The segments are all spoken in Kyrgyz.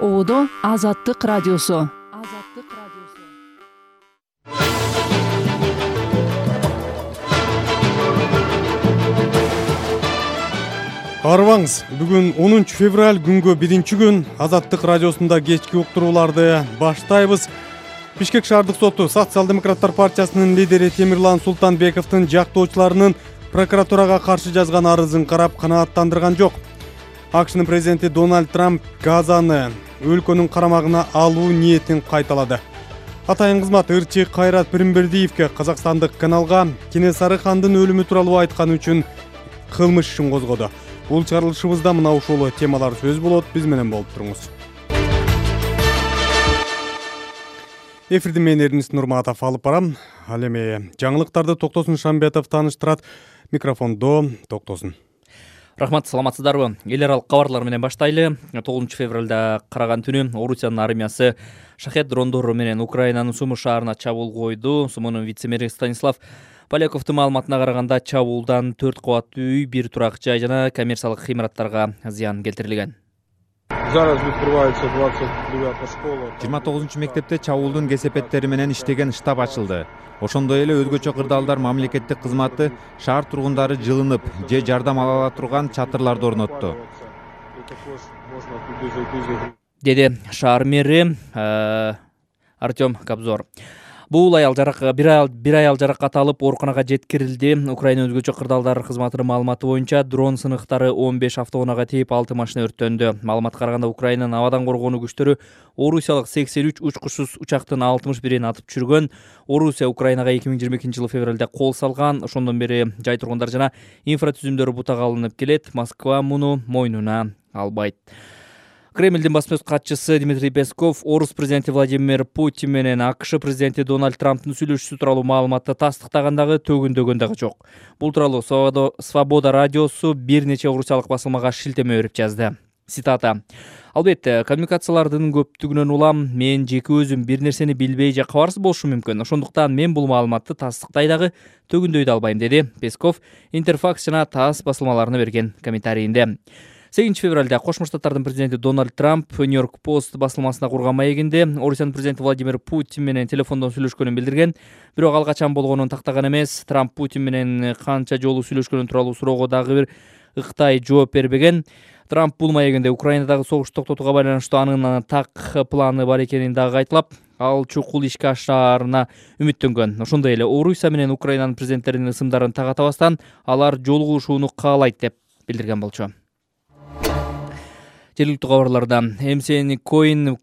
Одо Азаттык радиосу. Арыбаңыз, бүгүн 10 февраль күнгө 1-күн Азаттык радиосунда кечки уктурууларды баштайбыз. Бишкек шаардык соту Социал-демократтар партиясынын лидери Темирлан Султанбековдун жактоочуларынын прокуратурага каршы жазган арызын карап канааттандырган жок. АКШнын президенти Дональд Трамп Газаны өлкөнүн карамагына алуу ниетин кайталады. Атайын кызмат ырчы Кайрат Пиримбердиевке казакстандык каналга Кенесары хандын өлүмү тууралуу айтканы үчүн кылмыш ишин козгоду. Бул чыгарылышыбызда мына ушул темалар сөз болот. Биз менен болуп туруңуз. Эфирди мен Эрнис Нурматов алып барам. Ал эми жаңылыктарды Токтосун Шамбетов тааныштырат. Микрофондо Токтосун. Рахмат, саламатсыздарбы? Эл аралык кабарлар менен баштайлы. 9 февралда караган түнү Орусиянын армиясы шахет дрондору менен Украинанын Сумы шаарына чабуул койду. Сумунун вице-мэри Станислав Поляковдун маалыматына караганда чабуулдан 4 кабаттуу үй, 1 турак жай жана коммерциялык имараттарга зыян келтирилген. 29 мектепте чабуулдун кесепеттери менен иштеген штаб ачылды. Ошондой эле өзгөчө кырдаалдар мамлекеттик кызматы шаар тургундары жылынып же жардам ала турган чатырларды орнотту, деди шаар мэри Артем Кобзор. Бул аял бир аял жаракат алып ооруканага жеткирилди. Украина өзгөчө кырдаалдар кызматынын маалыматы боюнча дрон сыныктары 15 автоунаага тийип 6 машина өрттөндү. Маалыматка караганда Украинанын абадан коргонуу күчтөрү Орусиялык 83 учкучсуз учактын 61-ин атып түшүргөн. Орусия Украинага 2022-жылы февралда кол салган. Ошондон бери жай тургундар жана инфратүзүмдөрү бутага алынып келет. Москва муну мойнуна албайт. Кремлдин басма сөз катчысы Дмитрий Песков орус президенти Владимир Путин менен АКШ президенти Дональд Трамптын сүйлөшүүсү тууралуу маалыматты тастыктагандагы төгүндөгөн дагы жок. Бул тууралуу Свобода радиосу бир нече орусиялык басылмага шилтеме берип жазды. Цитата: "Албетте, коммуникациялардын көптүгүнөн улам мен жеке өзүм бир нерсени билбей же кабарсыз болушум мүмкүн. Ошондуктан мен бул маалыматты тастыктай дагы төгүндөй да албайм", деди Песков Интерфакс жана ТАСС басылмаларына берген комментарийинде. 8 февралда Кошмо Штаттардын президенти Дональд Трамп Нью-Йорк Пост басылмасына курган маегинде Орусиянын президенти Владимир Путин менен телефондон сүйлөшкөнүн билдирген. Бирок ал качан болгонун тактаган эмес. Трамп Путин менен канча жолу сүйлөшкөнү тууралуу суроого дагы бир ыктай жооп бербеген. Трамп бул маегинде Украинадагы согушту токтотууга байланыштуу анын так планы бар экенин дагы айтылап, ал чукул ишке ашаарына үмүттөнгөн. Ошондой эле Орусия менен Украинанын президенттеринин ысымдарын тагатабастан алар жолугушууну каалайт деп билдирген болчу. Жергиликтүү кабарларда MCN Coin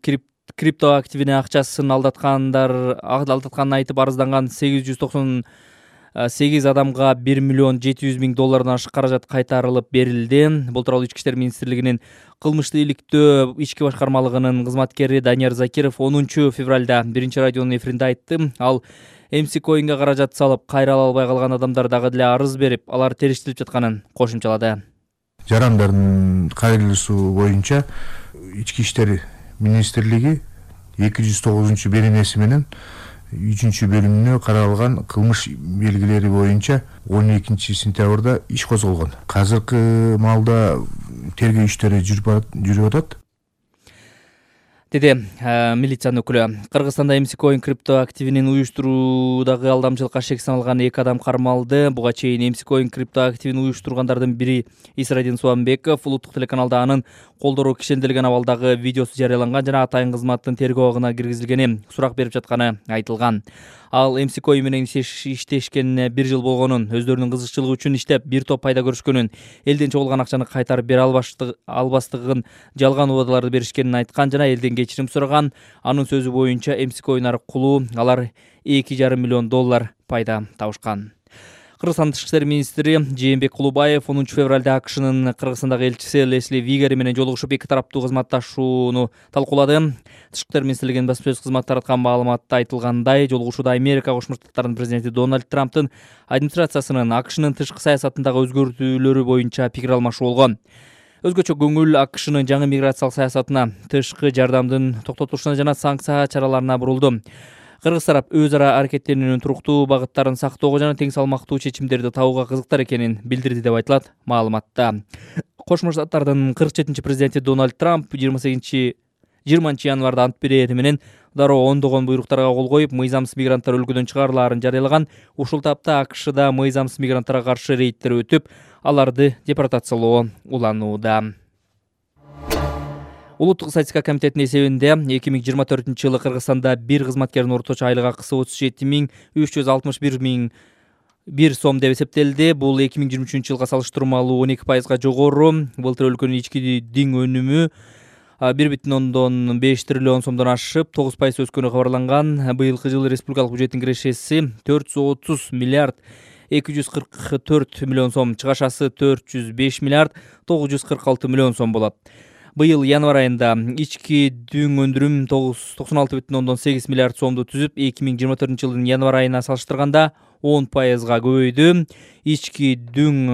крипто активине акчасын алдатканын айтып арызданган 898 адамга $1,700,000 ашык каражат кайтарылып берилди. Бул тууралуу Ички иштер министрлигинин кылмыштуу иликтөө ички башкармалыгынын кызматкери Данияр Закиров 10 февралда биринчи радионун эфиринде айтты. Ал MC Coin'ге каражат салып кайра ала албай калган адамдар дагы деле арыз берип, алар териштирип жатканын кошумчалады. Жарандардын кайрылуусу боюнча Ички иштер министрлиги 209-беренеси менен 3-бөлүмүнө каралган кылмыш белгилери боюнча 12 сентябрда иш козголгон. Азыркы маалда тергөө иштери жүрүп атат, деди милициянын өкүлү. Кыргызстанда MC Coin крипто активинин уюштуруудагы алдамчылыкка шек саналган 2 адам кармалды. Буга чейин MC Coin крипто активин уюштургандардын бири Исрадин Суамбеков улуттук телеканалда анын колдору кишенделген абалдагы видеосу жарыяланган жана атайын кызматтын тергөө абагына киргизилгени, сурак берип жатканы айтылган. Ал MC Coin менен иштешкенине 1 жыл болгонун, өздөрүнүн кызыкчылыгы үчүн иштеп бир топ пайда көрүшкөнүн, элден чогулган акчаны кайтарып бере албастыгын, жалган убадаларды беришкенин айткан жана элден кечирим сураган. Анын сөзү боюнча MC Coin аркылуу алар $2,5 миллион пайда табышкан. Кыргызстан тышкы иштер министри Жээнбек Кулубаев 10 февралда АКШнын Кыргызстандагы элчиси Лесли Вигери менен жолугушуп 2 тараптуу кызматташууну талкуулады. Тышкы иштер министрлигинин басма сөз кызматы тараткан маалыматта айтылгандай, жолугушууда Америка Кошмо Штаттарынын президенти Дональд Трамптын администрациясынын АКШнын тышкы саясатындагы өзгөртүүлөрү боюнча пикир алмашуу болгон. Өзгөчө көңүл АКШнын жаңы миграциялык саясатына, тышкы жардамдын токтотулушуна жана санкция чараларына бурулду. Кыргыз тарап өз ара аракеттеринин туруктуу багыттарын сактоого жана тең салмактуу чечимдерди табууга кызыктар экенин билдирди деп айтылат маалыматта. Кошмо Штаттардын 47-президенти Дональд Трамп 20-январда ант берери менен дароо ондогон буйруктарга кол коюп, мыйзамсыз мигранттар өлкөдөн чыгарылаарын жарыялаган. Ушул тапта АКШда мыйзамсыз мигранттарга каршы рейдтер өтүп, аларды депортациялоо уланууда. Улуттук статистика комитетинин эсебинде 2024-жылы Кыргызстанда бир кызматкердин орточо айлык акысы 37,361 сом деп эсептелди. Бул 2023-жылга салыштырмалуу 12%га жогору. Былтыр өлкөнүн ички диң өнүмү 1,5 триллион сомдон ашып 9% өскөнү кабарланган. Быйылкы жылы республикалык бюджеттин кирешеси 430 миллиард 244 миллион сом, чыгашасы 405 миллиард 946 миллион сом болот. Быйыл январь айында ички дүң өндүрүм 96,8 миллиард сомду түзүп, 2024-жылдын январь айына салыштырганда 10%га көбөйдү. Ички дүң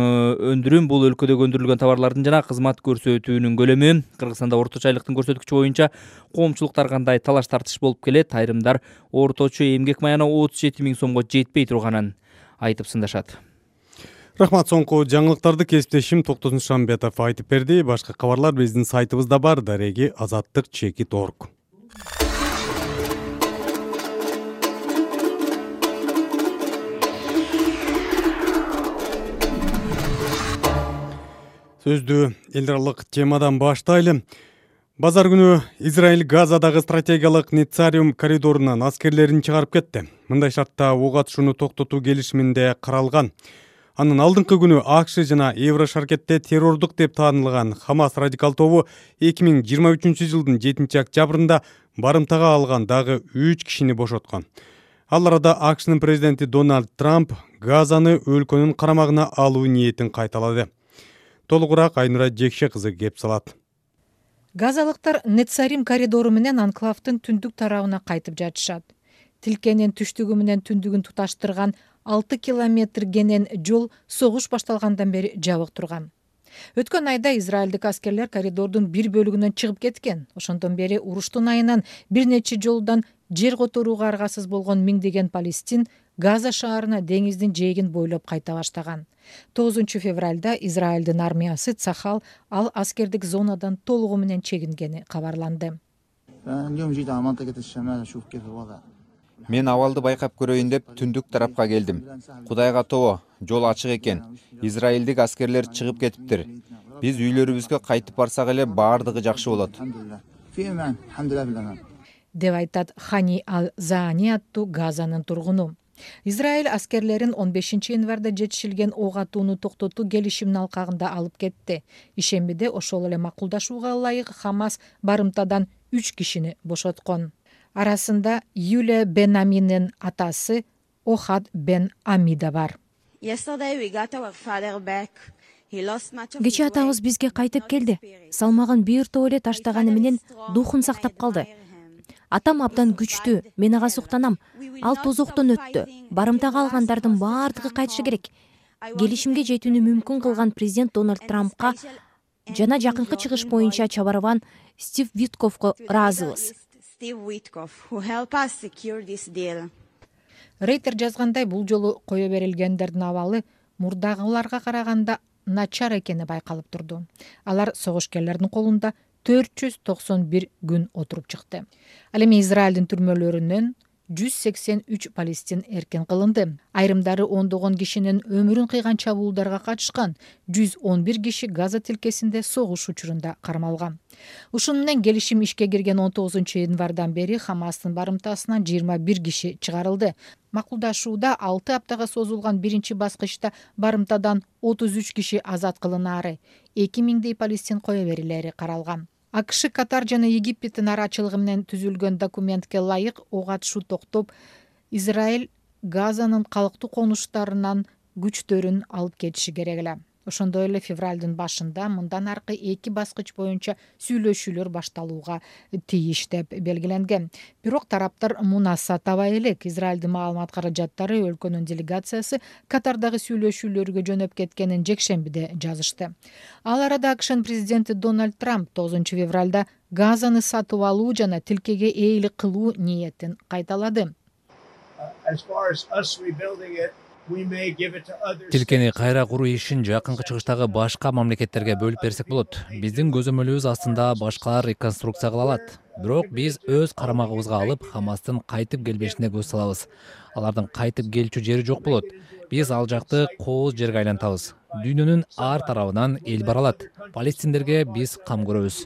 өндүрүм бул өлкөдөгө өндүрүлгөн товарлардын жана кызмат көрсөтүүнүн көлөмү. Кыргызстанда орточо айлыктын көрсөткүчү боюнча коомчулуктар кандай талаш тартыш болуп келет. Айрымдар орточо эмгек маяна 37 000 сомго жетпей турганын айтып сындашат. Рахмат, соңку жаңылыктарды кесиптешим Токтосун Шамбетов айтып берди. Башка кабарлар биздин сайтыбызда бар, дареги azatlyk.org. Сөздү эл аралык темадан баштайлы. Базар күнү Израиль Газадагы стратегиялык Нецариум коридорунан аскерлерин чыгарып кетти. Мындай шартта ок атышууну токтотуу келишиминде каралган. Анын алдыңкы күнү АКШ жана Еврошаркетте террордук деп таанылган Хамас радикал тобу 2023-жылдын 7-октябрында барымтага алган дагы 3 кишини бошоткон. Ал арада АКШнын президенти Дональд Трамп Газаны өлкөнүн карамагына алуу ниетин кайталады. Толугураак Айнура Жекше кызы кеп салат. Газалыктар Нецарим коридору менен анклавдын түндүк тарабына кайтып жатышат. Тилкенин түштүгү менен түндүгүн туташтырган 6 километр генен жол согуш башталгандан бери жабык турган. Өткөн айда израилдик аскерлер коридордун бир бөлүгүнөн чыгып кеткен. Ошондон бери уруштун айынан бир нече жолдон жер которууга аргасыз болгон миңдеген палестин Газа шаарына деңиздин жээгин бойлоп кайта баштаган. 9 февралда Израилдин армиясы Цахал ал аскердик зонадан толугу менен чегингени кабарланды. Мен абалды байкап көрөйүн деп түндүк тарапка келдим. Кудайга тобо, жол ачык экен. Израилдик аскерлер чыгып кетиптир. Биз үйлөрүбүзгө кайтып барсак эле баардыгы жакшы болот. Деп айтат Хани Ал-Заани аттуу Газанын тургуну. Израиль аскерлерин 15 январда жетишилген ок атууну токтотуу келишиминин алкагында алып кетти. Ишембиде ошол эле макулдашууга ылайык Хамас барымтадан 3 кишини бошоткон. Арасында Юлия бен Аминин атасы Охад бен Амида бар. Кечээ атабыз бизге кайтып келди. Салмагын бир топ эле таштаганы менен духун сактап калды. Атам абдан күчтүү, мен ага суктанам. Ал тозоктон өттү. Барымтага алгандардын баардыгы кайтышы керек. Келишимге жетүүнү мүмкүн кылган президент Дональд Трампка жана жакынкы чыгыш боюнча чабарган Стив Витковго ыраазыбыз. Рейтер жазгандай, бул жолу кое берилгендердин абалы мурдагыларга караганда начар экени байкалып турду. Алар согушкерлердин колунда 491 күн отуруп чыкты. Ал эми Израилдин түрмөлөрүнөн 183 палестин эркин кылынды. Айрымдары ондогон кишинин өмүрүн кыйган чабуулдарга катышкан. 111 киши Газа тилкесинде согуш учурунда кармалган. Ушуну менен келишим ишке кирген 19 январдан бери Хамастын барымтасынан 21 киши чыгарылды. Макулдашууда 6 аптага созулган биринчи баскычта барымтадан 33 киши азат кылынаары, 2000дей палестин кое берилери каралган. АКШ, Катар жана Египеттин арачылыгы менен түзүлгөн документке ылайык ок атышуу токтоп, Израиль Газанын калктуу конуштарынан күчтөрүн алып кетиши керек эле. Ошондой эле февралдын башында мындан аркы 2 баскыч боюнча сүйлөшүүлөр башталууга тийиш деп белгиленген. Бирок тараптар мунаса табай элек. Израилдин маалымат каражаттары өлкөнүн делегациясы Катардагы сүйлөшүүлөргө жөнөп кеткенин жекшембиде жазышты. Ал арада АКШнын президенти Дональд Трамп 9 февралда Газаны сатып алуу жана тилкеге ээлик кылуу ниетин кайталады. Тилкени кайра куруу ишин жакынкы чыгыштагы башка мамлекеттерге бөлүп берсек болот. Биздин көзөмөлүбүз астында башкалар реконструкция кыла алат. Бирок биз өз карамагыбызга алып Хамастын кайтып келбешине көз салабыз. Алардын кайтып келчү жери жок болот. Биз ал жакты кооз жерге айлантабыз. Дүйнөнүн ар тарабынан эл бара алат. Палестиндерге биз кам көрөбүз.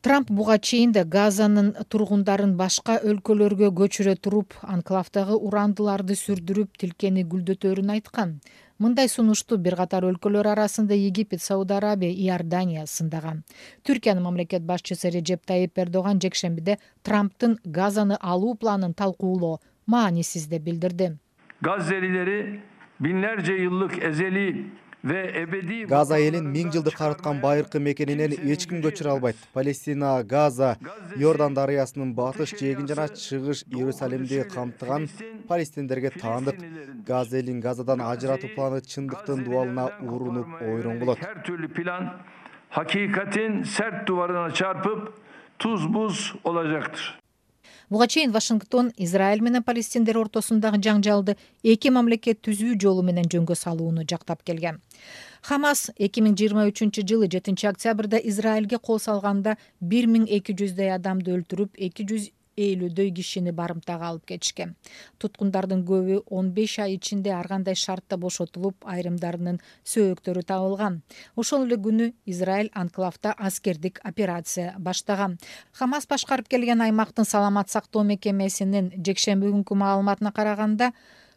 Трамп буга чейин да Газанын тургундарын башка өлкөлөргө көчүрө туруп, анклавдагы урандыларды сүрдүрүп, тилкени гүлдөтөрүн айткан. Мындай сунушту бир катар өлкөлөр арасында Египет, Сауд Арабия, Иордания сындаган. Түркиянын мамлекет башчысы Реджеп Тайип Эрдоган жекшембиде Трамптын Газаны алуу планын талкуулоо маанисиз деп билдирди. Gazze'lileri binlerce yıllık ezeli ve ebedi Газа элин 1000 жылдык карыткан байыркы мекенинен эч ким көчүрө албайт. Палестина, Газа, Иордан дарыясынын батыш жээгин жана чыгыш Иерусалимди камтыган палестиндерге таандык. Газа элин Газадан ажыратуу планы чындыктын дубалына урунуп ойрон болот. her türlü plan hakikatin sert duvarına çarpıp tuz buz olacaktır. Буга чейин Вашингтон Израиль менен палестиндер ортосундагы жаңжалды эки мамлекет түзүү жолу менен жөнгө салууну жактап келген. Хамас 2023 жылы 7 октябрда Израилге кол салганда 1200дөй адамды өлтүрүп, 250дөй кишини барымтага алып кетишкен. Туткундардын көбү 15 ай ичинде ар кандай шартта бошотулуп, айрымдарынын сөөктөрү табылган. Ошол эле күнү Израиль анклавда аскердик операция баштаган. Хамас башкарып келген аймактын саламат сактоо мекемесинин жекшемби күнкү маалыматына караганда,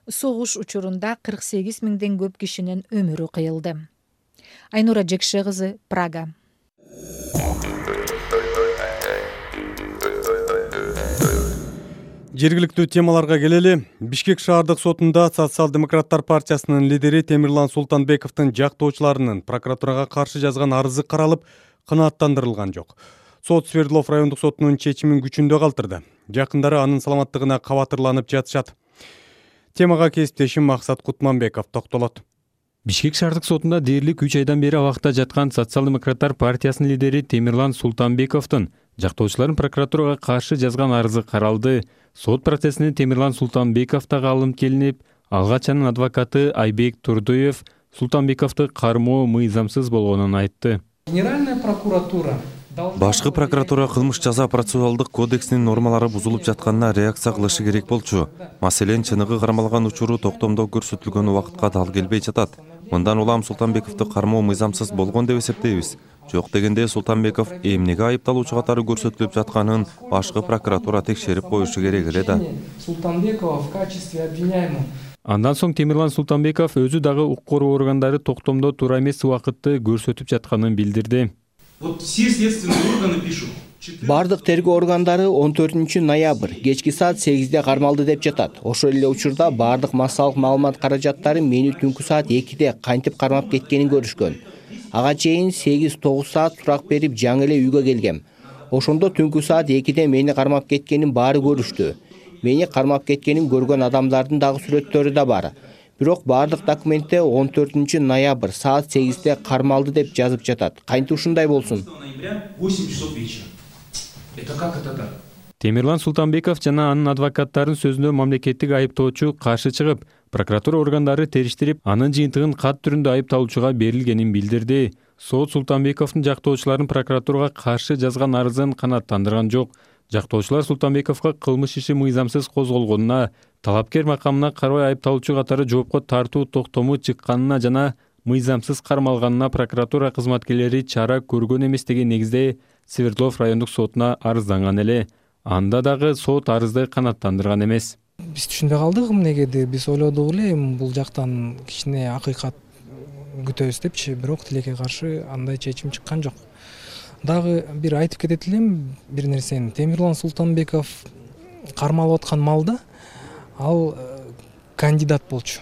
согуш учурунда 48 миңден көп кишинин өмүрү кыйылды. Айнура Жекше кызы, Прага. Жергиликтүү темаларга келели. Бишкек шаардык сотунда Социал-демократтар партиясынын лидери Темирлан Султанбековдун жактоочуларынын прокуратурага каршы жазган арызы каралып, канааттандырылган жок. Сот Свердлов райондук сотунун чечимин күчүндө калтырды. Жакындары анын саламаттыгына кабатырланып жатышат. Темага кесиптешим Максат Кутманбеков токтолот. Бишкек шаардык сотунда дээрлик 3 айдан бери абакта жаткан Социал-демократтар партиясынын лидери Темирлан Султанбековдун жактоочуларын прокуратурага каршы жазган арызы каралды. Сот процессине Темирлан Султанбеков дагы алынып келинип, алгач анын адвокаты Айбек Турдуев Султанбековду кармоо мыйзамсыз болгонун айтты. Генеральная прокуратура Башкы прокуратура кылмыш жаза процессуалдык кодексинин нормалары бузулуп жатканына реакция кылышы керек болчу. Маселен, чыныгы кармалган учуру токтомдо көрсөтүлгөн убакытка дал келбей жатат. Мындан улам Султанбековду кармоо мыйзамсыз болгон деп эсептейбиз. Жок дегенде Султанбеков эмнеге айыпталуучу катары көрсөтүлүп жатканын башкы прокуратура текшерип коюшу керек эле да. Султанбекова в качестве обвиняемого. Андан соң Темирлан Султанбеков өзү дагы укук коргоо органдары токтомдо туура эмес убакытты көрсөтүп жатканын билдирди. Вот все следственные органы пишут. Бардык тергөө органдары 14 ноябрь кечки саат 8-де кармалды деп жатат. Ошол эле учурда бардык массалык маалымат каражаттары мени түнкү саат 2-де кантип кармап кеткенин көрүшкөн. Ага чейин 8-9 саат сурак берип жаңы эле үйгө келгем. Ошондо түнкү саат 2-де мени кармап кеткенин баары көрүштү. Мени кармап кеткенин көргөн адамдардын дагы сүрөттөрү да бар. Бирок бардык документте 14 ноябрь саат 8-де кармалды деп жазып жатат. Кантип ушундай болсун? 8 часов вечера. Это как это так? Темирлан Султанбеков жана анын адвокаттарын сөзүнө мамлекеттик айыптоочу каршы чыгып, прокуратура органдары териштирип, анын жыйынтыгын кат түрүндө айыпталуучуга берилгенин билдирди. Сот Султанбековдун жактоочуларын прокуратурага каршы жазган арызын канааттандырган жок. Жактоочулар Султанбековго кылмыш иши мыйзамсыз козголгонуна, талапкер макамына карабай айыпталуучу катары жоопко тартуу токтому чыкканына жана мыйзамсыз кармалганына прокуратура кызматкерлери чара көргөн эмес деген негизде Свердлов райондук сотуна арызданган эле. Анда дагы сот арызды канааттандырган эмес. Биз түшүнбөй калдык эмнеге, биз ойлодук эле бул жактан кичине акыйкат күтөбүз депчи, бирок тилекке каршы андай чечим чыккан жок. Дагы бир айтып кетет элем бир нерсени. Темирлан Султанбеков кармалып аткан малда ал кандидат болчу.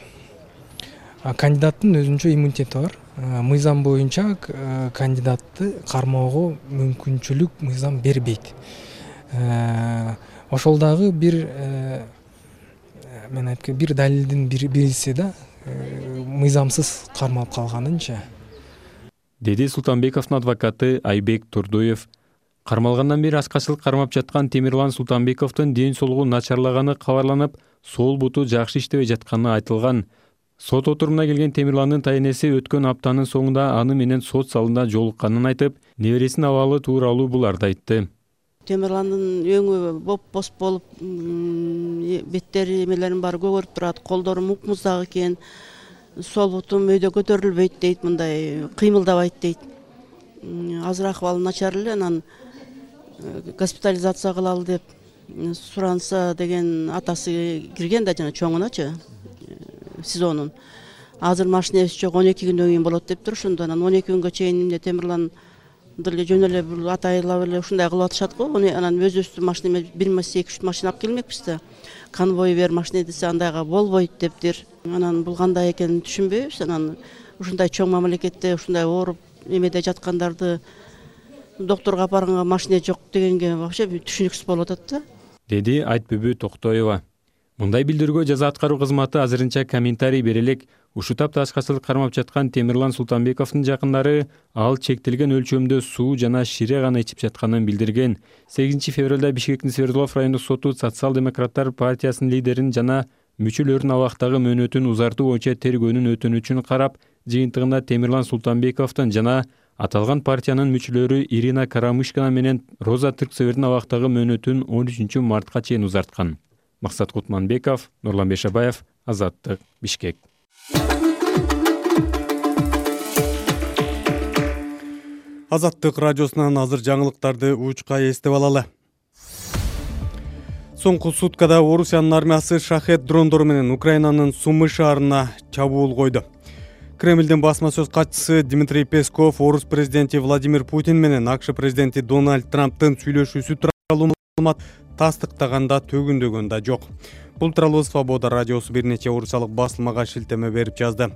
Кандидаттын өзүнчө иммунитети бар. Мыйзам боюнча кандидатты кармоого мүмкүнчүлүк мыйзам бербейт. Ошол дагы бир мен айткан бир далилдин бириси да мыйзамсыз кармалып калганынча. Деди Султанбековдун адвокаты Айбек Турдуев. Кармалгандан бери аскачылык кармап жаткан Темирлан Султанбековдун ден соолугу начарлаганы кабарланып, сол буту жакшы иштебей жатканы айтылган. Сот отурумуна келген Темирландын тайенеси өткөн аптанын соңунда аны менен сот залында жолукканын айтып, небересинин абалы тууралуу буларды айтты. Темирландын өңү боп-боз болуп, беттери эмелерин баары көгөрүп турат, колдору мук-муздак экен, сол бутум өйдө көтөрүлбөйт дейт, мындай кыймылдабайт дейт. Азыр акыбалы начар эле, анан госпитализация кылалы деп суранса деген атасы кирген да, жана чоңуначы СИЗОнун. Азыр машинебиз жок, 12 күндөн кийин болот деп турушунду. Анан 12 күнгө чейин эмне Темирлан деле жөн эле бул атайлап эле ушундай кылып атышат го. Анан өзүбүздүн машина 1-2-3 машина алып келмекпиз да. Конвой бер машина десе андайга болбойт дептир. Анан бул кандай экенин түшүнбөйбүз. Анан ушундай чоң мамлекетте ушундай ооруп эмеде жаткандарды докторго апарганга машина жок дегенге вообще түшүнүксүз болуп атат да, деди Айтбүбү Токтоева. Мындай билдирүүгө жаза аткаруу кызматы азырынча комментарий бере элек. Ушул тапта ачкачылык кармап жаткан Темирлан Султанбековдун жакындары ал чектелген өлчөмдө суу жана шире гана ичип жатканын билдирген. 8 февралда Бишкектин Свердлов райондук соту Социал-демократтар партиясынын лидерин жана мүчөлөрүнүн абактагы мөөнөтүн узартуу боюнча тергөөнүн өтүнүчүн карап, жыйынтыгында Темирлан Султанбековдун жана аталган партиянын мүчөлөрү Ирина Карамышкина менен Роза Тырксевердин абактагы мөөнөтүн 13 мартка чейин узарткан. Максат Кутманбеков, Нурлан Бешабаев, Азаттык, Бишкек. Азаттык радиосунан азыр жаңылыктарды учка эстеп алалы. Соңку суткада Орусиянын армиясы Шахет дрондору менен Украинанын Сумы шаарына чабуул койду. Кремлдин басма сөз катчысы Дмитрий Песков орус президенти Владимир Путин менен АКШ президенти Дональд Трамптын сүйлөшүүсү тууралуу маалымат тастыктаганда төгүндөгөн да жок. Бул тууралуу Свобода радиосу бир нече орусиялык басылмага шилтеме берип жазды.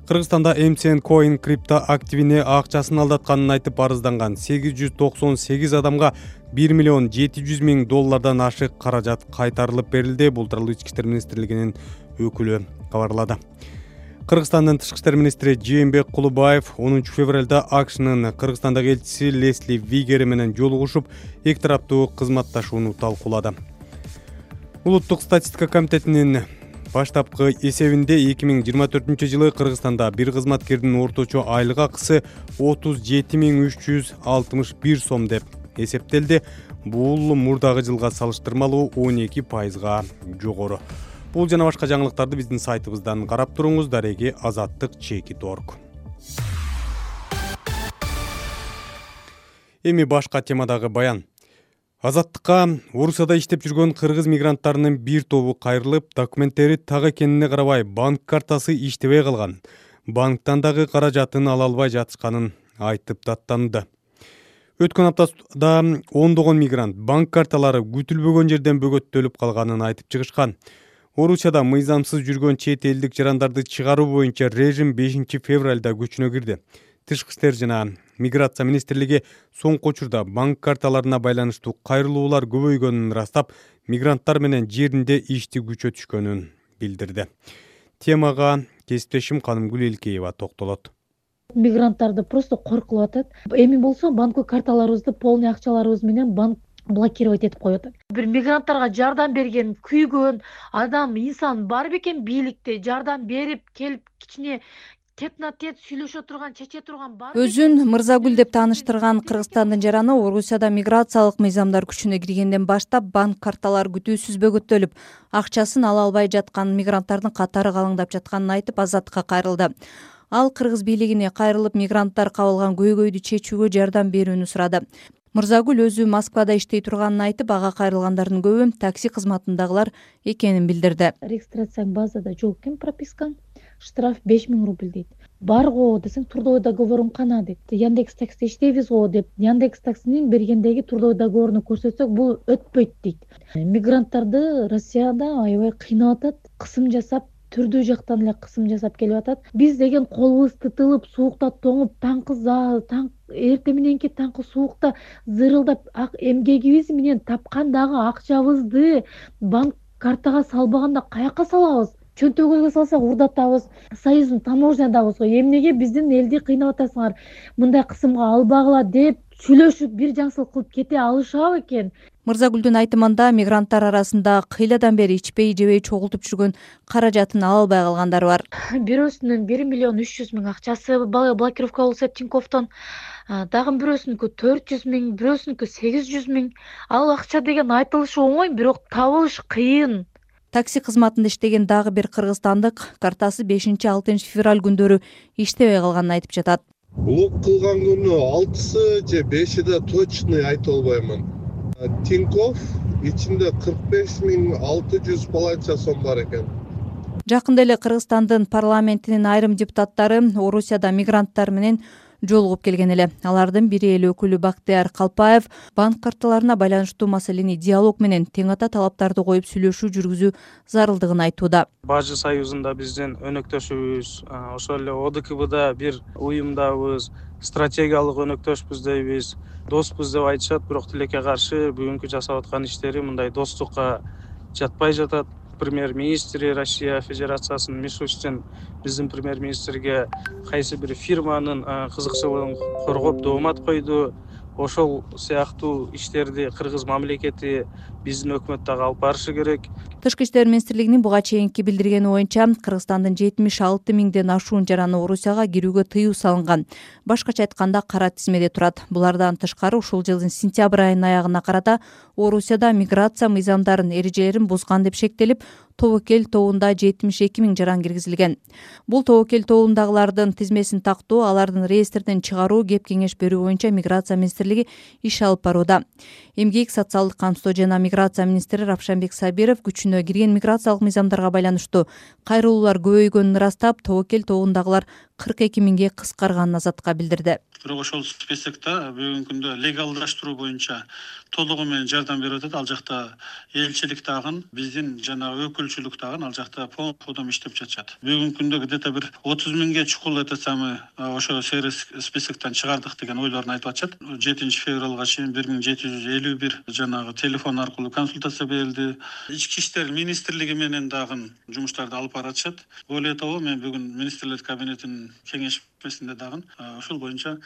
Кыргызстанда MCN Coin крипто активине акчасын алдатканын айтып арызданган 898 адамга 1 700 000 доллардан ашык каражат кайтарылып берилди. Бул тууралуу Ички иштер министрлигинин өкүлү кабарлады. Кыргызстандын тышкы иштер министри Жээнбек Кулубаев 10 февралда АКШнын Кыргызстандагы элчиси Лесли Вигери менен жолугушуп, эки тараптуу кызматташууну талкуулады. Улуттук статистика комитетинин баштапкы эсебинде 2024 жылы Кыргызстанда бир кызматкердин орточо айлык акысы 37 361 сом деп эсептелди. Бул мурдагы жылга салыштырмалуу 12%га жогору. Бул жана башка жаңылыктарды биздин сайтыбыздан карап туруңуз. Дареги azattik.org. Эми башка темадагы баян. Азаттыкка Орусияда иштеп жүргөн кыргыз мигранттарынын бир тобу кайрылып, документтери так экенине карабай банк картасы иштебей калган. Банктан дагы каражатын ала албай жатышканын айтып даттанды. Өткөн аптада ондогон мигрант банк карталары күтүлбөгөн жерден бөгөттөлүп калганын айтып чыгышкан. Орусияда мыйзамсыз жүргөн чет элдик жарандарды чыгаруу боюнча режим 5 февралда күчүнө кирди. Тышкы иштер жана миграция министрлиги соңку учурда банк карталарына байланыштуу кайрылуулар көбөйгөнүн ырастап, мигранттар менен жеринде ишти күчөтүшкөнүн билдирди. Темага кесиптешим Канымгүл Элкеева токтолот. Мигранттарды просто коркулуп атат. Эми болсо банк карталарыбызды полный акчаларыбыз менен банк блокировать этип коюп атат. Бир мигранттарга жардам берген, күйгөн адам, инсан бар бекен бийликте жардам берип келип кичине тет-на-тет сүйлөшө турган, чече турган бар. Өзүн Мырзагүл деп тааныштырган Кыргызстандын жараны Орусияда миграциялык мыйзамдар күчүнө киргенден баштап банк карталары күтүүсүз бөгөттөлүп, акчасын ала албай жаткан мигранттардын катары калыңдап жатканын айтып Азаттыкка кайрылды. Ал кыргыз бийлигине кайрылып, мигранттар кабылган көйгөйдү чечүүгө жардам берүүнү сурады. Мырзагүл өзү Москвада иштей турганын айтып, ага кайрылгандардын көбү такси кызматындагылар экенин билдирди. Регистрацияң базада жок экен, пропискаң, штраф 5000 рубль дейт. Бар го десең, трудовой договорум кана дейт. Яндекс такси иштейбиз го деп, Яндекс таксинин бергендеги трудовой договоруну көрсөтсөк, бул өтпөйт дейт. Мигранттарды Россияда аябай кыйнап атат, кысым жасап, түрдүү жактан эле кысым жасап келип атат. Биз деген колубуз тытылып, суукта тоңуп, эртең мененки таңкы суукта зырылдап, эмгегибиз менен тапкан дагы акчабызды банк картага салбаганда каяка салабыз? Чөнтөгүбүзгө салсак урдатабыз. Союздун таможнядабыз го. Эмнеге биздин элди кыйнап атасыңар? Мындай кысымга албагыла деп сүйлөшүп бир жакшылык кылып кете алышабы экен? Мырзагүлдүн айтымында мигранттар арасында кыйладан бери ичпей жебей чогултуп жүргөн каражатын ала албай калгандар бар. Бирөөсүнүн 1,3 миллион акчасы блокировка болсо Тиньковдон, дагы бирөөсүнүкү 400 000, бирөөсүнүкү 800 000. Ал акча деген айтылышы оңой, бирок табылыш кыйын. Такси кызматында иштеген дагы бир кыргызстандык картасы 5-6 февраль күндөрү иштебей калганын айтып жатат. Блок кылган күнү 6-сы же 5-де точный айта албаймын. Тинькофф ичинде 45 600 полонча сом бар экен. Жакында эле Кыргызстандын парламентинин айрым депутаттары Орусияда мигранттар менен жолугуп келген эле. Алардын бири эл өкүлү Бактыяр Калпаев банк карталарына байланыштуу маселени диалог менен тең ата талаптарды коюп сүйлөшүү жүргүзүү зарылдыгын айтууда. Бажы союзунда биздин өнөктөшүбүз, ошол эле ОДКБда бир уюмдабыз, стратегиялык өнөктөшпүз дейбиз, доспуз деп айтышат, бирок тилекке каршы бүгүнкү жасап аткан иштери мындай достукка жатпай жатат. Премьер-министри Россия Федерациясынын Мишустин биздин премьер-министрге кайсы бир фирманын кызыкчылыгын коргоп доомат койду. Ошол сыяктуу иштерди кыргыз мамлекети биздин өкмөт дагы алып барышы керек. Тышкы иштер министрлигинин буга чейинки билдиргени боюнча Кыргызстандын 76 000ден ашуун жараны Орусияга кирүүгө тыюу салынган. Башкача айтканда кара тизмеде турат. Булардан тышкары ушул жылдын сентябрь айынын аягына карата Орусияда миграция мыйзамдарын эрежелерин бузган деп шектелип, тобокел тобунда 72 000 жаран киргизилген. Бул тобокел тобундагылардын тизмесин тактоо, алардын реестрден чыгаруу, кеп кеңеш берүү боюнча миграция министрлиги иш алып барууда. Эмгек, социалдык камсоо жана миграция министри Равшанбек Сабиров күчүнө кирген миграциялык мыйзамдарга байланыштуу кайрылуулар көбөйгөнүн ырастап, тобокел тобундагылар 42 000ге кыскарганын Азатка билдирди. Бирок ошол списокто бүгүнкү күндө легалдаштыруу боюнча толугу менен жардам берип атат. Ал жакта элчилик дагы, биздин жана өкүлчүлүк дагы ал жакта полном иштеп жатышат. Бүгүнкү күндө где-то бир 30 000ге чукул этесамы ошо сервис списоктон чыгардык деген ойлорун айтып атышат. 7 февралга чейин 1751 жанагы телефон аркылуу консультация берилди. Ички иштер министрлиги менен дагы жумуштарды алып баратышат. Более того, мен бүгүн министрлер кабинетинин кеңешмесинде дагы ошол боюнча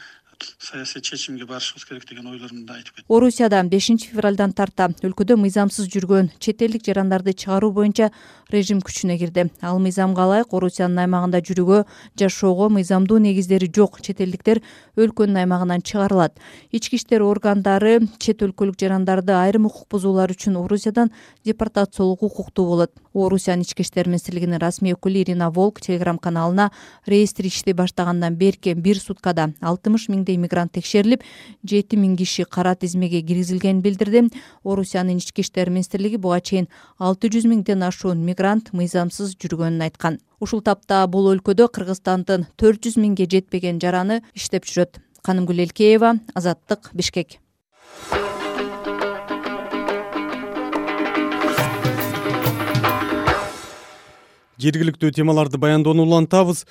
саясий чечимге барышыбыз керек деген ойлорумду айтып кеттим. Орусияда 5 февралдан тарта өлкөдө мыйзамсыз жүргөн чет элдик жарандарды чыгаруу боюнча режим күчүнө кирди. Ал мыйзамга ылайык Орусиянын аймагында жүрүүгө, жашоого мыйзамдуу негиздери жок чет элдиктер өлкөнүн аймагынан чыгарылат. Ички иштер органдары чет өлкөлүк жарандарды айрым укук бузуулар үчүн Орусиядан депортациялоого укуктуу болот. Орусиянын ички иштер министрлигинин расмий өкүлү Ирина Волк телеграм каналына реестр иштей баштагандан берки бир суткада 60 000 мигрант текшерилип, 7 000 киши кара тизмеге киргизилгенин билдирди. Орусиянын ички иштер министрлиги буга чейин 600 000ден ашуун мигрант мыйзамсыз жүргөнүн айткан. Ушул тапта бул өлкөдө Кыргызстандын 400 000ге жетпеген жараны иштеп жүрөт. Канымгүл Элкеева, Азаттык, Бишкек. Жергиликтүү темаларды баяндоону улантабыз.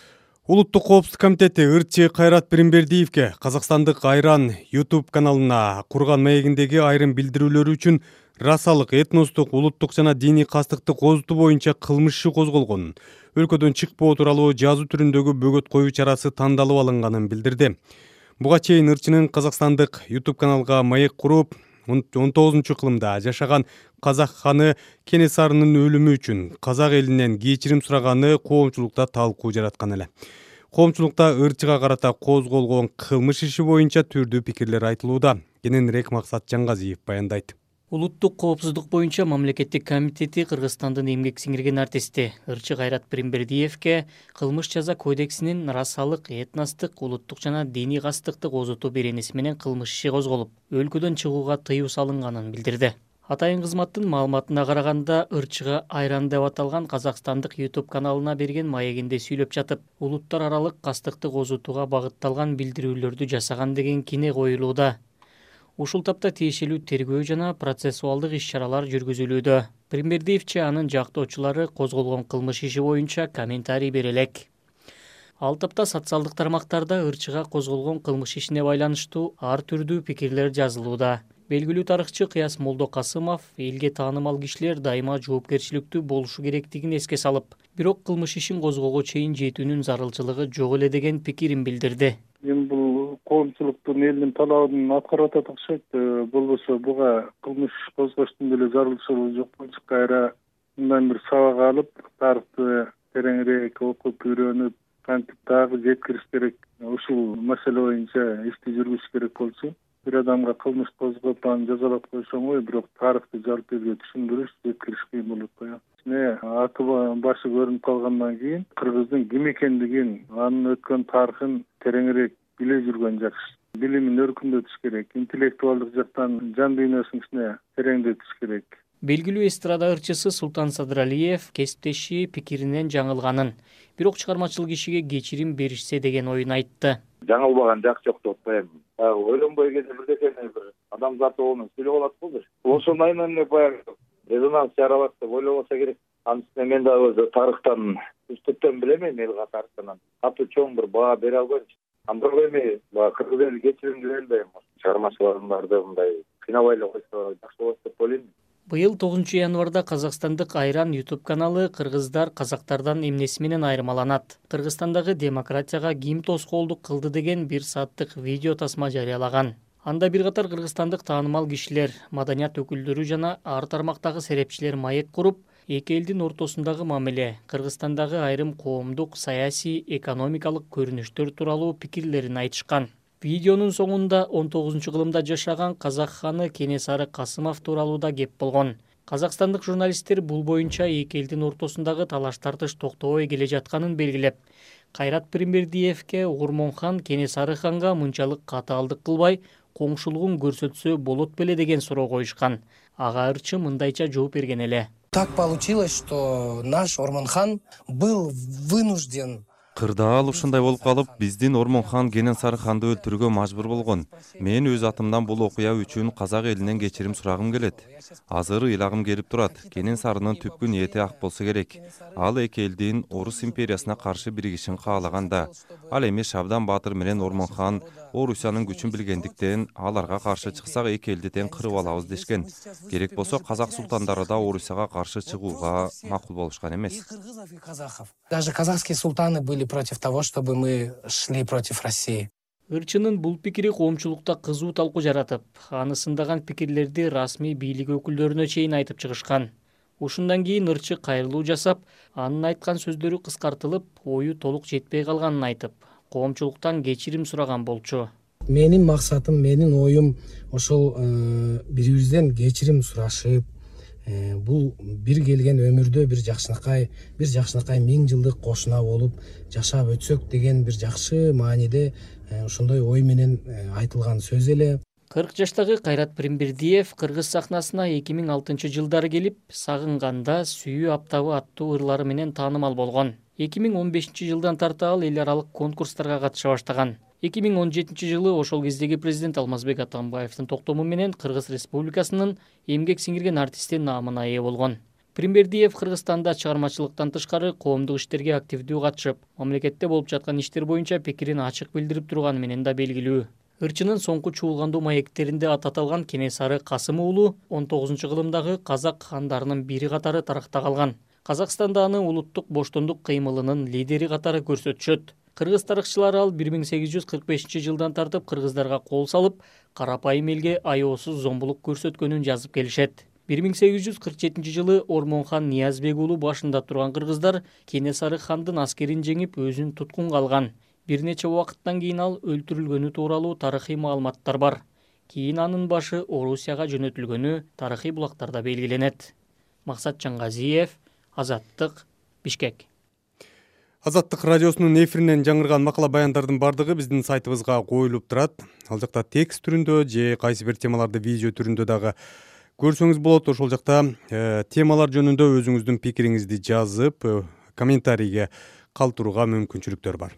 Улуттук коопсуздук комитети ырчы Кайрат Биримбердиевке Казакстандык Айран YouTube каналына курган маегиндеги айрым билдирүүлөрү үчүн расалык, этностук, улуттук жана диний кастыкты козутуу боюнча кылмыш иши козголгонун, өлкөдөн чыкпоо тууралуу жазуу түрүндөгү бөгөт коюу чарасы тандалып алынганын билдирди. Буга чейин ырчынын Казакстандык YouTube каналга маек куруп, 19-кылымда жашаган казак ханы Кенесарынын өлүмү үчүн казак элинен кечирим сураганы коомчулукта талкуу жараткан эле. Коомчулукта ырчыга карата козголгон кылмыш иши боюнча түрдүү пикирлер айтылууда. Кененирээк Максат Жаңгазиев баяндайт. Улуттук коопсуздук боюнча мамлекеттик комитети Кыргызстандын эмгек сиңирген артисти ырчы Кайрат Биримбердиевке кылмыш жаза кодексинин расалык, этностук, улуттук жана диний кастыкты козутуу беренеси менен кылмыш иши козголуп, өлкөдөн чыгууга тыюу салынганын билдирди. Атайын кызматтын маалыматына караганда, ырчыга Айран деп аталган казакстандык YouTube каналына берген маегинде сүйлөп жатып, улуттар аралык кастыкты козутууга багытталган билдирүүлөрдү жасаган деген кине коюлууда. Ушул тапта тиешелүү тергөө жана процессуалдык иш-чаралар жүргүзүлүүдө. Биримбердиевче анын жактоочулары козголгон кылмыш иши боюнча комментарий бере элек. Ал тапта социалдык тармактарда ырчыга козголгон кылмыш ишине байланыштуу ар түрдүү пикирлер жазылууда. Белгилүү тарыхчы Кыяс Молдокасымов элге таанымал кишилер дайыма жоопкерчиликтүү болушу керектигин эске салып, бирок кылмыш ишин козгоого чейин жетүүнүн зарылчылыгы жок эле деген пикирин билдирди. Мен бул коомчулуктун элдин талабын аткарып атат окшойт. Болбосо буга кылмыш козгоштун деле зарылчылыгы жок болчу. Кайра мындан бир сабак алып, тарыхты тереңирээк окуп үйрөнүп, кантип дагы жеткириш керек. Ушул маселе боюнча ишти жүргүзүш керек болчу. Бир адамга кылмыш козгоп, аны жазалап коюш оңой, бирок тарыхты жарып элге түшүндүрүш, жеткириш кыйын болуп коет. Аты башы көрүнүп калгандан кийин кыргыздын ким экендигин, анын өткөн тарыхын тереңирээк биле жүргөн жакшы. Билимин өркүндөтүш керек, интеллектуалдык жактан жан дүйнөсүн ичине тереңдетиш керек. Белгилүү эстрада ырчысы Султан Садыралиев кесиптеши пикиринен жаңылганын, бирок чыгармачыл кишиге кечирим беришсе деген оюн айтты. Жаңылбаган жак жок деп атпайм. Ойлонбой кете бирдекени бир адамзат оонун сүйлөп алат болду. Ошону айынан эле баягы резонанс жаралат деп ойлобосо керек. Анын үстүнө мен дагы тарыхтан үстүктөн билемин, эл тарыхтан катуу чоң бир баа бере албайм. Андыргы эми баягы кыргыз эли кечиримдүү эл да эми чыгармачылардарды мындай кыйнабай эле койсо жакшы болот деп ойлойм. Быйыл 9 январда Казакстандык Айран YouTube каналы кыргыздар казактардан эмнеси менен айырмаланат, Кыргызстандагы демократияга ким тоскоолдук кылды деген 1 сааттык видео тасма жарыялаган. Анда бир катар кыргызстандык таанымал кишилер, маданият өкүлдөрү жана ар тармактагы серепчилер маек куруп, эки элдин ортосундагы мамиле, Кыргызстандагы айрым коомдук, саясий, экономикалык көрүнүштөр тууралуу пикирлерин айтышкан. Видеонун соңунда 19-кылымда жашаган казак ханы Кенесары Касымов тууралуу да кеп болгон. Казакстандык журналисттер бул боюнча эки элдин ортосундагы талаш-тартыш токтобой келе жатканын белгилеп, Кайрат Пиримбердиевке Угурмон хан Кенесары ханга мынчалык катаалдык кылбай, коңшулугун көрсөтсө болот беле деген суроо коюшкан. Ага ырчы мындайча жооп берген эле. Так получилось, что наш Ормон-хан был вынужден. Кырдаал ушундай болуп калып, биздин Ормон хан Кенесары ханды өлтүрүүгө мажбур болгон. Мен өз атымдан бул окуя үчүн казак элинен кечирим сурагым келет. Азыр ыйлагым келип турат. Кенесарынын түпкү ниети ак болсо керек. Ал эки элдин Орус империясына каршы биригишин каалаганда, ал эми Шабдан Баатыр менен Ормон хан Орусиянын күчүн билгендиктен аларга каршы чыксак эки элди тең кырып алабыз дешкен. Керек болсо казак султандары да Орусияга каршы чыгууга макул болушкан эмес. Даже казахские султаны были против того, чтобы мы шли против России. Ырчынын бул пикири коомчулукта кызуу талкуу жаратып, аны сындаган пикирлерди расмий бийлик өкүлдөрүнө чейин айтып чыгышкан. Ушундан кийин ырчы кайрылуу жасап, анын айткан сөздөрү кыскартылып, ою толук жетпей калганын айтып, коомчулуктан кечирим сураган болчу. Менин максатым, менин оюм ошол бирибизден кечирим сурашып, бул бир келген өмүрдө бир жакшынакай 1000 жылдык кошуна болуп жашап өтсөк деген бир жакшы мааниде ошондой ой менен айтылган сөз эле. 40 жаштагы Кайрат Пиримбердиев кыргыз сахнасына 2006-жылдары келип, Сагынганда сүйүү аптабы аттуу ырлары менен таанымал болгон. 2015-жылдан тарта ал эл аралык конкурстарга катыша баштаган. 2017-жылы ошол кездеги президент Алмазбек Атамбаевдин токтому менен Кыргыз Республикасынын эмгек сиңирген артисти наамына ээ болгон. Пиримбердиев Кыргызстанда чыгармачылыктан тышкары коомдук иштерге активдүү катышып, мамлекетте болуп жаткан иштер боюнча пикирин ачык билдирип турганы менен да белгилүү. Ырчынын соңку чуулгандуу маектеринде аты аталган Кенесары Касым уулу 19-кылымдагы казак хандарынын бири катары тарыхта калган. Казакстанда аны улуттук боштондук кыймылынын лидери катары көрсөтүшөт. Кыргыз тарыхчылары ал 1845-жылдан тартып кыргыздарга кол салып, карапайым элге аеосуз зомбулук көрсөткөнүн жазып келишет. 1847-жылы Ормон хан Ниязбек уулу башында турган кыргыздар Кенесары хандын аскерин жеңип өзүн туткунга алган. Бир нече убакыттан кийин ал өлтүрүлгөнү тууралуу тарыхый маалыматтар бар. Кийин анын башы Орусияга жөнөтүлгөнү тарыхый булактарда белгиленет. Максат Жаңгазиев, Азаттык, Бишкек. Азаттык радиосунун эфиринен жаңырган макала баяндардын бардыгы биздин сайтыбызга коюлуп турат. Ал жакта текст түрүндө же кайсы бир темаларды видео түрүндө дагы көрсөңүз болот. Ошол жакта темалар жөнүндө өзүңүздүн пикириңизди жазып, комментарийге калтырууга мүмкүнчүлүктөр бар.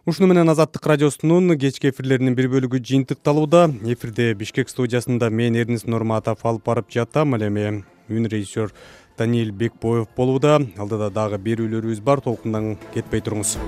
Ушуну менен Азаттык радиосунун кечки эфирлеринин бир бөлүгү жыйынтыкталууда. Эфирде Бишкек студиясында мен Эрнис Нурматов алып барып жатам. Ал эми үн режиссер Даниил Бекбоев болууда. Алдыда дагы берүүлөрүбүз бар. Толкундан кетпей туруңуз.